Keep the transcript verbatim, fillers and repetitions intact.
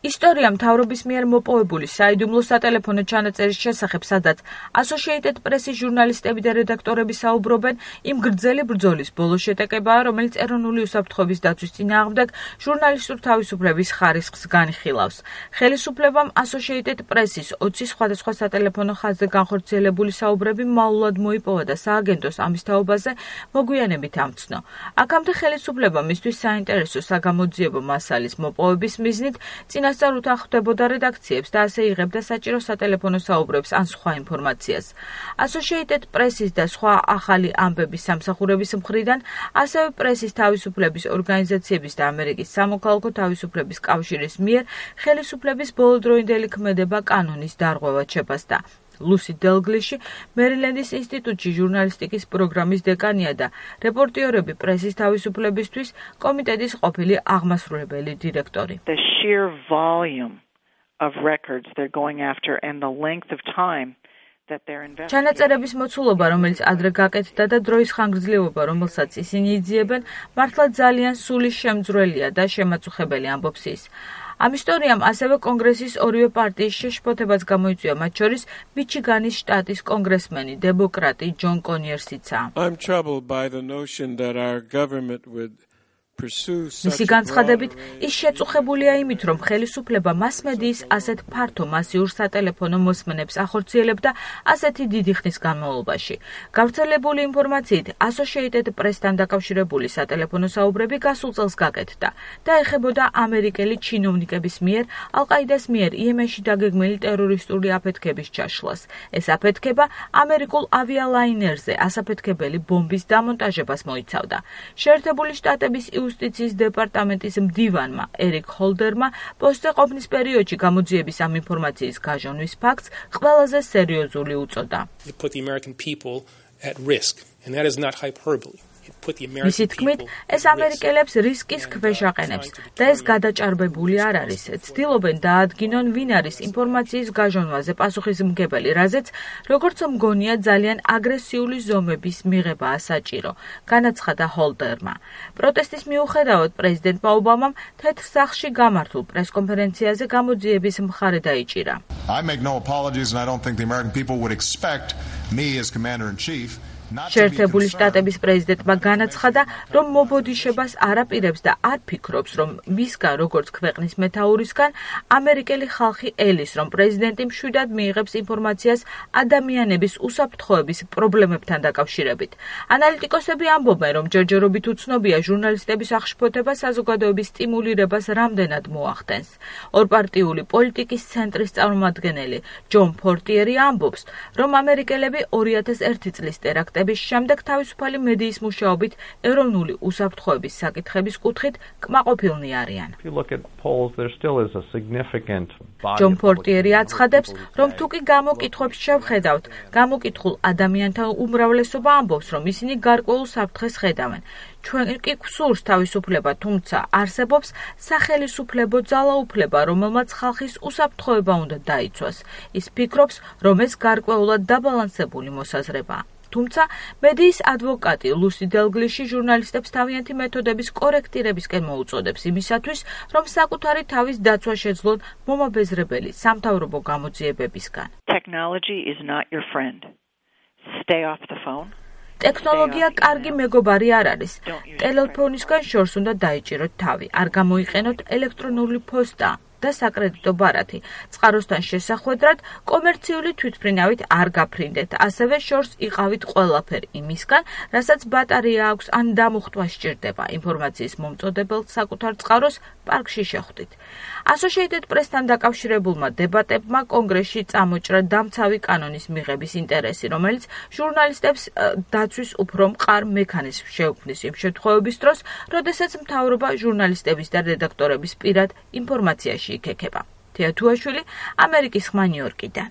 ისტორია მთავრობის მიერ მოპოვებული საიდუმლო სატელეფონო ჩანაწერის შესახებ, სადაც Associated Press-ის ჟურნალისტები და რედაქტორები საუბრობენ, იმ გრძელი ბრძოლის ბოლო შეტაკებაა, რომელიც ეროვნული უსაფრთხოების დაცვის წინააღმდეგ ჟურნალისტურ თავისუფლების ხარისხს განიხილავს. ხელისუფლებამ Associated Press-ის ოცი სხვადასხვა სატელეფონო ხაზზე განხორციელებული საუბრები მაულად მოიპოვა და სააგენტოს ამის თაობაზე მოგვიანებით ამცნო. აქამდე ხელისუფლება მისთვის საინტერესო საგამოძიებო მასალის მოპოვების მიზნით წინასწარ უთანხმდებოდა რედაქციებს და ასე იღებდა საჭირო სატელეფონო საუბრებს ან სხვა ინფორმაციას. Associated Press-ის და სხვა ახალი ამბების სამსახურების მხრიდან ასევე პრესის თავისუფლების ორგანიზაციების და ამერიკის სამოქალაქო თავისუფლების კავშირის მიერ ხელისუფლების ბოლოდროინდელი ქმედება კანონის დარღვევად შეფასდა. ლუსი დელგლიში მერილენდის ინსტიტუტში ჟურნალისტიკის პროგრამის დეკანია და რეპორტიორები პრესის თავისუფლებისთვის კომიტეტის ყოფილი აღმასრულებელი დირექტორი. The sheer volume of records they're going after and the length of time that they're investigating. ჩანაწერების მოცულობა, რომელიც ადრე გაკეთდა და დროის ხანგრძლივობა, რომელსაც ისინი იძიებენ, მართლა ძალიან სულის შემძვრელია და შემაწუხებელი, ამბობს ის. ამ ისტორიამ ასევე კონგრესის ორივე პარტიის შეშფოთებაც გამოიწვია, მათ შორის მიჩიგანის შტატის კონგრესმენი დემოკრატი ჯონ კონიერსიცა. I'm troubled by the notion that our government would მისი განცხადებით, ის შეწუხებულია იმით, რომ ხელისუფლება მასმედიის ასეთ ფართო მასიურ სატელეფონო მოსმენებს ახორციელებდა ასეთი დიდი ხნის განმავლობაში. გავრცელებული ინფორმაციით, Associated Press-თან დაკავშირებული სატელეფონო საუბრები გასულ წელს გაკეთდა და ეხებოდა ამერიკელი ჩინოვნიკების მიერ ალ-ყაიდას მიერ იემენში დაგეგმილი ტერორისტული აფეთქების ჩაშლას. ეს აფეთქება ამერიკულ ავიალაინერზე ასაფეთქებელი ბომბის დამონტაჟებას მოიცავდა. შეერთებული შტატების იუსტიციის დეპარტამენტის მდივანმა ერიკ ჰოლდერმა პოსტზე ყოფნის პერიოდში გამოძიების ამ ინფორმაციის გაჟონვის ფაქტს ყველაზე სერიოზული უწოდა. მისი თქმით, ეს ამერიკელებს რისკის ქვეშ აყენებს და ეს გადაჭარბებული არ არის. ცდილობენ დაადგინონ, ვინ არის ინფორმაციის გაჟონვაზე პასუხისმგებელი, რაზეც, როგორც მგონია, ძალიან აგრესიული ზომების მიღებაა საჭირო, განაცხადა ჰოლდერმა. პროტესტის მიუხედავად, პრეზიდენტმა ობამამ თეთრ სახლში გამართულ პრესკონფერენციაზე გამოძიების მხარე დაიჭირა. I make no apologies and I don't think the American people would expect me as commander-in-chief შეერთებული შტატების პრეზიდენტმა განაცხადა, რომ მობოდიშებას არ აპირებს და არ ფიქრობს, რომ მისგან, როგორც ქვეყნის მეთაურისგან, ამერიკელი ხალხი ელის, რომ პრეზიდენტი მშვიდად მიიღებს ინფორმაციას ადამიანების უსაფრთხოების პრობლემებთან დაკავშირებით. ანალიტიკოსები ამბობენ, რომ ჯერჯერობით უცნობია ჟურნალისტების აღშფოთება საზოგადოების სტიმულირებას რამდენად მოახდენს. ორპარტიული პოლიტიკის ცენტრის წარმომადგენელი ჯონ ფორტიერი ამბობს, რომ ამერიკელები ორი ათას ერთი წლის ტერაქტ შემდეგ თავისუფალი მედიის მუშაობით ეროვნული უსაფრთხოების საკითხების კუთხით კმაყოფილნი არიან. ჯონ ფორტიერი აცხადებს, რომ თუ კი გამოკითხვებს შევხედავთ, გამოკითხულ ადამიანთა უმრავლესობა ამბობს, რომ ისინი გარკვეულ საფრთხეს ხედავენ. ჩვენ კი გვსურს თავისუფლება, თუმცა არსებობს სახელისუფლებო ძალაუფლება, რომელმაც ხალხის უსაფრთხოება უნდა დაიცვას. ის ფიქრობს, რომ ეს გარკვეულად დაბალანსებული მოსაზრებაა. თუმცა მედიის ადვოკატი ლუსი დელგლიში ჟურნალისტებს თავიანთი მეთოდების კორექტირებისკენ მოუწოდებს იმისათვის, რომ საკუთარი თავის დაცვა შეძლონ მომაბეზრებელი სამთავრობო გამოძიებებისგან. Technology is not your friend. Stay off the phone. ტექნოლოგია კარგი მეგობარი არ არის. ტელეფონისგან შორს უნდა დაიჭიროთ თავი. არ გამოიყენოთ ელექტრონული პოსტა და საკრედიტო ბარათი. წყაროსთან შესახვედრად კომერციული თვითმფრინავით არ გაფრინდეთ. ასევე შორს იყავით ყველაფერი იმისგან, რასაც ბატარეა აქვს ან დამუხტვა სჭირდება. ინფორმაციის მომწოდებელ საკუთარ წყაროს პარკში შეხვდით. Associated Press-თან დაკავშირებულმა დებატებმა კონგრესში წამოჭრა დამცავი კანონის მიღების ინტერესი, რომელიც ჟურნალისტებს დაცვის უფრო მყარ მექანიზმს შეუქმნის იმ შემთხვევების დროს, როდესაც მთავრობა ჟურნალისტების და რედაქტორების პირად ინფორმაციაში იქექება. თეა თუაშვილი, ამერიკის ხმა ნიუ-იორკიდან.